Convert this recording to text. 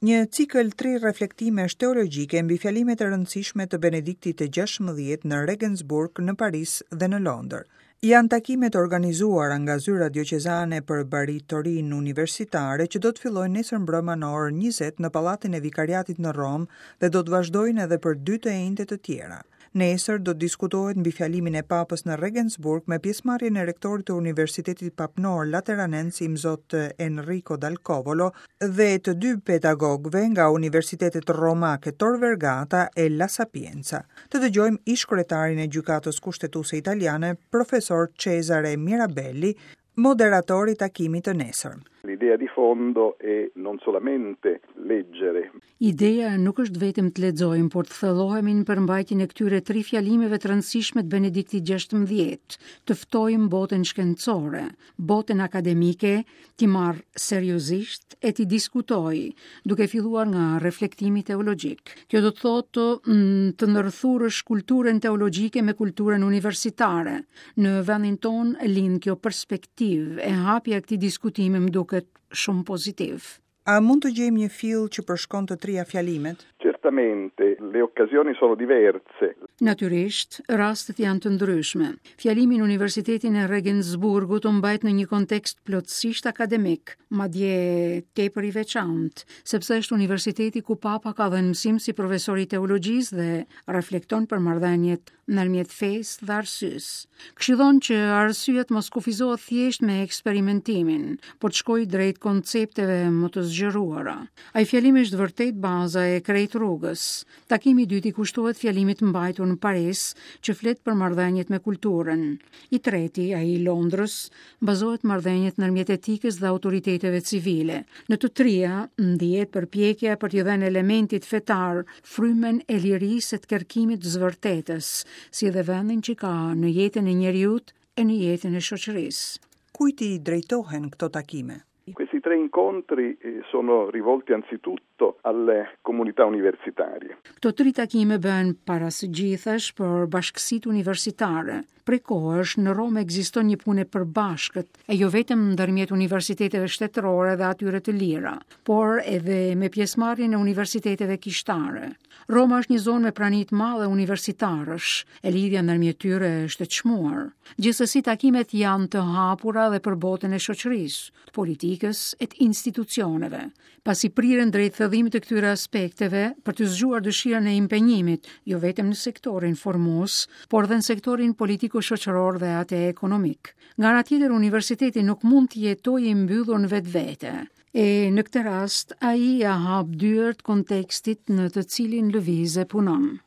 Një cikël tri reflektimesh teologjike mbi fjalimet e rëndësishme të Benediktit të 16 në Regensburg, në Paris dhe në Londër. Janë takime të organizuara nga zyra dioqezane për Bari-Torinë Universitare që do të fillojnë nesër mbrëma në orën 20 në Pallatin e Vikariatit në Romë dhe do të vazhdojnë edhe për dy të enjte të tjera. Nesër do të diskutohet mbi fjalimin e Papës në Regensburg me pjesëmarrjen e rektorit të Universitetit Papnor Lateranens Imzot Enrico Dal Covolo dhe të dy pedagogëve nga universitetet romake Tor Vergata e La Sapienza. Të dëgjojmë ish-kryetarin e Gjykatës Kushtetuese Italiane, profesor Cesare Mirabelli, moderator i takimit të nesërm. L'idea di fondo è non solamente leggere. Ideja nuk është vetëm të lexojmë, por të thellohemi në përmbajtjen e këtyre tri fjalimeve të rëndësishme të Benediktit XVI, të ftojmë botën shkencore, botën akademike, t'i marrë seriozisht e t'i diskutojë, duke filluar nga reflektimi teologjik. Kjo do të thotë mm, të ndërthurësh kulturën teologjike me kulturën universitare. Në vendin tonë lind kjo perspektivë e hapja e këtij diskutimi më duket shumë pozitiv. A mund të gjejmë një fill që përshkon të tria fjalimet? Certamente, le occasioni sono diverse. Natyrisht, rastet janë të ndryshme. Fjalimi në Universitetin e Regensburgut u mbajt në një kontekst plotësisht akademik, madje tepër i veçantë, sepse është universiteti ku Papa ka dhënë mësim si profesor i teologjisë dhe reflekton për marrëdhëniet ndërmjet fesë dhe arsyes. Këshillon që arsyeja të mos kufizohet thjesht me eksperimentimin, por të shkojë drejt koncepteve më të zgjeruara. Ai fjalim është vërtet baza e krejt rrugës. Takimi i dytë i kushtohet fjalimit të mbajtur në Paris, që flet për marrëdhëniet me kulturën. I treti, ai i Londrës, bazohet marrëdhëniet ndërmjet etikës dhe autoriteteve civile. Në të tria, ndihet përpjekja për t'i dhënë elementit fetar frymën e lirisë e të kërkimit të së vërtetës, si dhe vendin që ka në jetën e njeriut e në jetën e shoqërisë. Kujt i drejtohen këto takime? Questi tre incontri eh, sono rivolti anzitutto alle comunità universitarie. Këto tri takime bëhen para së gjithash për bashkësitë universitare. Prej kohësh në Romë ekziston një punë e përbashkët, e jo vetëm ndërmjet universiteteve shtetërore dhe atyre të lira, por edhe me pjesëmarrjen e universiteteve kishtare. Roma është një zonë me prani të madhe universitarësh, e lidhja ndërmjet tyre është e çmuar. Gjithsesi takimet janë të hapura dhe për botën e shoqërisë, të politikës e të institucioneve, pasi priren drejt thellimit të këtyre aspekteve për të zgjuar dëshirën e impenjimit, jo vetëm në sektorin formues, por dhe në sektorin politiko-shoqëror dhe atë ekonomik. Nga ana tjetër, universiteti nuk mund të jetojë i mbyllur në vetvete. E në këtë rast, ai ia hap dyert kontekstit në të cilin lëviz e punon.